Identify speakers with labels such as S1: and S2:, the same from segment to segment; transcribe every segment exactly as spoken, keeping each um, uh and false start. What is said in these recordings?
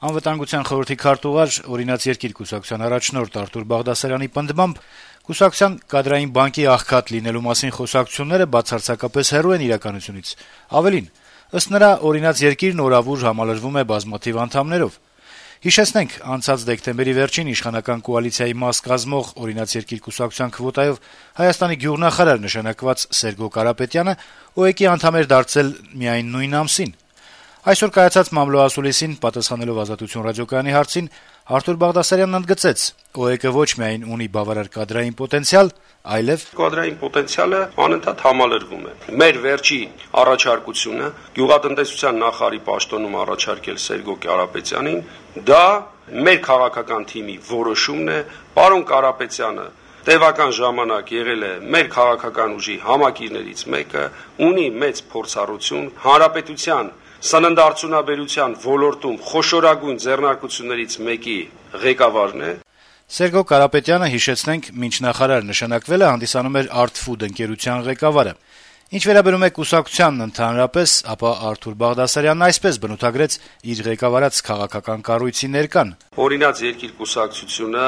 S1: Անվտանգության խորհրդի քարտուղար, Օրինաց երկիր կուսակցության առաջնորդ Արթուր Բաղդասարյանի պնդմամբ կուսակցության կադրային բանկի աղքատ լինելու մասին խոսակցությունները բացարձակապես հեռու են իրականությունից: Ավելին, ըստ նրա, Օրինաց երկիրն օրավուր համալրվում է բազմաթիվ անդամներով: Հիշեցնենք, անցած դեկտեմբերի վերջին իշխանական կոալիցիայի մաս կազմող Օրինաց երկիր կուսակցության քվոտայով Հայաստանի գյուղնախարար նշանակված Սերգո Կարապետյանը ՕԵԿ-ի անդամ էր դարձել միայն նույն ամսին: Այսօր կայացած մամլո ասուլիսին պատասխանելով «Ազատություն» ռադիոկայանի հարցին Արթուր Բաղդասարյանն ընդգծեց. ՕԵԿ-ը ոչ միայն ունի բավարար կադրային պոտենցիալ, այլեւ
S2: կադրային պոտենցիալը անընդհատ համալրվում է: Մեր վերջին առաջարկությունը գյուղատնտեսության նախարարի պաշտոնում առաջարկել Սերգո Կարապետյանին, դա մեր քաղաքական թիմի որոշումն է: Պարոն Կարապետյանը տևական ժամանակ եղել է մեր քաղաքական ուժի համակիրներից մեկը, ունի մեծ փորձառություն, հանրապետության սննդարդյունաբերության ոլորտում խոշորագույն ձեռնարկություններից մեկի ղեկավարն է:
S1: Սերգո Կարապետյանը, հիշեցնենք, մինչ նախարար նշանակվել է, հանդիսանում էր «Արտֆուդ» ընկերության ղեկավարը: Ինչ վերաբերում է կուսակցությանն ընդհանրապես, ապա Արթուր Բաղդասարյանն այսպես բնութագրեց իր ղեկավարած քաղաքական կառույցի ներկան.
S2: «Օրինաց երկիր կուսակցությունը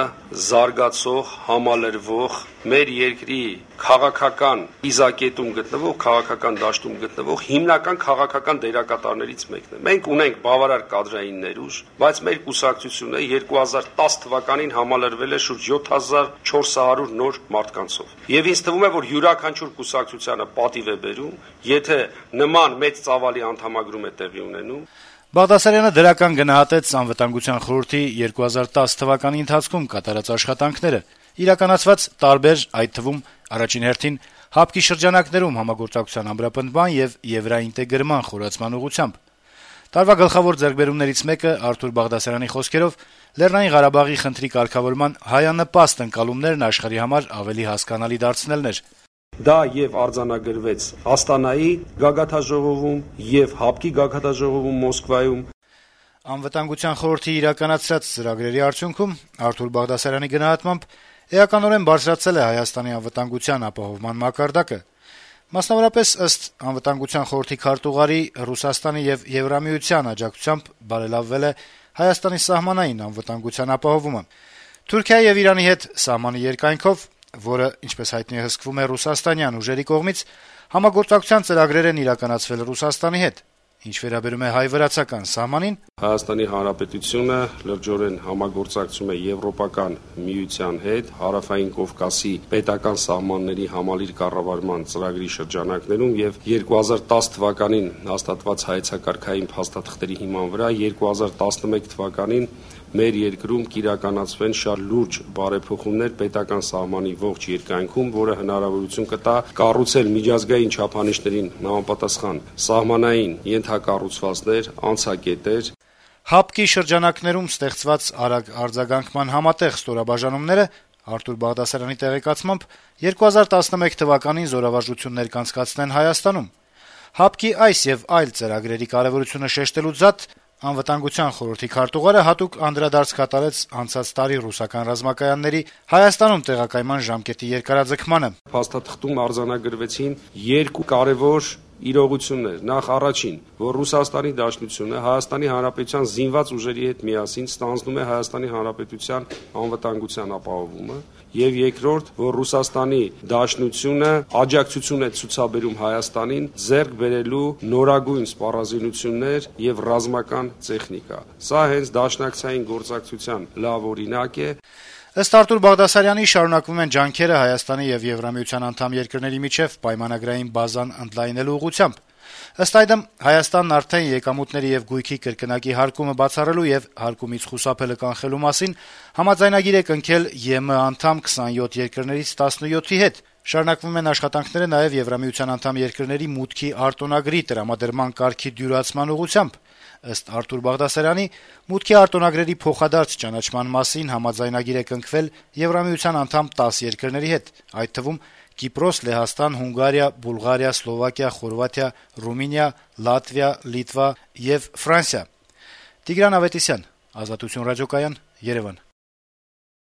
S2: զարգացող, համալրվող, մեր երկրի քաղաքական կիզակետում գտնվող, քաղաքական դաշտում գտնվող հիմնական քաղաքական դերակատարներից մեկն է: Մենք ունենք բավարար կադրային ներուժ, բայց մեր կուսակցությունը երկու հազար տաս թվականին համալրվել է շուրջ յոթ հազար չորս հարյուր նոր մարդկանցով: Եվ ինձ թվում է, որ յուրաքանչյուր կուսակցությանը պատիվ է բերում, եթե նման մեծ ծավալի անդամագրում է տեղի ունենում»:
S1: Բաղդասարյանը դրական գնահատեց Անվտանգության խորհրդի երկու հազար տաս թվականի ընթացքում կատարած աշխատանքները, իրականացված տարբեր, այդ թվում առաջին հերթին ՀԱՊԿ-ի շրջանակներում համագործակցության ամրապնդման եւ եվրաինտեգրման խորացման ուղղությամբ: Տարվա գլխավոր ձեռքբերումներից մեկը, Արթուր Բաղդասարյանի խոսքերով, Լեռնային Ղարաբաղի խնդրի կարգավորման հայանպաստ ընկալումներն աշխարհի համար ավելի հասկանալի դարձնելն էր:
S2: Դա եւ արձանագրվեց Աստանայի գագաթնաժողովում եւ ՀԱՊԿ-ի գագաթնաժողովում Մոսկվայում:
S1: Անվտանգության խորհրդի իրականացրած ծրագրերի արդյունքում, Արթուր Բաղդասարյանի գնահատմամբ, էականորեն բարձրացել է Հայաստանի անվտանգության ապահովման մակարդակը: Մասնավորապես, ըստ Անվտանգության խորհրդի քարտուղարի, Ռուսաստանի եւ Եվրամիության աջակցությամբ բարելավվել է Հայաստանի սահմանային անվտանգության ապահովումը: Թուրքիայի եւ Իրանի հետ սահմանի երկայնքով, որը, ինչպես հայտնի է, հսկվում է ռուսաստանյան ուժերի կողմից, համագործակցության ծրագրեր են իրականացվել Ռուսաստանի հետ: Ինչ վերաբերում է հայ-վրացական սահմանին,
S2: Հայաստանի Հանրապետությունը լրջորեն համագործակցում է Եվրոպական միության հետ Հարավային Կովկասի պետական սահմանների համալիր կառավարման ծրագրի շրջանակներում եւ երկու հազար տաս թվականին հաստատված հայեցակարգային փաստաթղթերի հիման վրա երկու հազար տասնմեկ թվականին մեր երկրում կիրականացվեն շատ լուրջ բարեփոխումներ պետական սահմանի ողջ երկայնքում, որը հնարավորություն կտա կառուցել միջազգային չափանիշներին համապատասխան սահմանային ենթակառուցվածքներ, անցակետեր:
S1: ՀԱՊԿ-ի շրջանակներում ստեղծված արագ արձագանքման համատեղ ստորաբաժանումները, Արթուր Բաղդասարյանի տեղեկացմամբ, երկու հազար տասնմեկ թվականին զորավարժություններ կանցկացնեն Հայաստանում: ՀԱՊԿ-ի այս եւ այլ ծրագրերի կարեւորությունը շեշտելուց զատ, Անվտանգության խորհրդի քարտուղարը հատուկ անդրադարձ կատարեց անցած տարի ռուսական ռազմակայանների Հայաստանում տեղակայման ժամկետի երկարաձգմանը:
S2: Փաստաթղթում արձանագրվեցին երկու կարեւոր իրողություններ: Նախ, առաջին, որ Ռուսաստանի Դաշնությունը Հայաստանի Հանրապետության զինված ուժերի հետ միասին ստանձնում է Հայաստանի Հանրապետության անվտանգության ապահովումը, եւ երկրորդ, որ Ռուսաստանի Դաշնությունը աջակցություն է ցուցաբերում Հայաստանին ձեռք բերելու նորագույն սպառազինություններ եւ ռազմական տեխնիկա: Սա հենց դաշնակցային գործակցության լավ օրինակ է»:
S1: Ըստ Արթուր Բաղդասարյանի, շարունակվում են ջանքերը Հայաստանի եւ Եվրամիության անդամ երկրների միջեւ պայմանագրային բազան ընդլայնելու ուղղությամբ: Ըստ այդմ, Հայաստանն արդեն եկամուտների եւ գույքի կրկնակի հարկումը բացառելու եւ հարկումից խուսափելը կանխելու մասին համաձայնագիր է կնքել ԵՄ անդամ քսանյոթ երկրներից տասնյոթի հետ: Շարունակվում են աշխատանքները նաեւ Եվրամիության անդամ երկրների մուտքի արտոնագրի տրամադրման կարգի դյուրացման ուղղությամբ: Ըստ Արթուր Բաղդասարյանի, մուտքի արտոնագրերի փոխադարձ ճանաչման մասին համաձայնագիր է կնքվել Եվրամիության անդամ տասը երկրների հետ, այդ թվում Կիպրոս, Լեհաստան, Հունգարիա, Բուլղարիա, Սլովակիա, Խորվաթիա, Ռումինիա, Լատվիա, Լիտվա եւ Ֆրանսիա: Տիգրան Ավետիսյան, Ազատություն ռադիոկայան, Երեւան: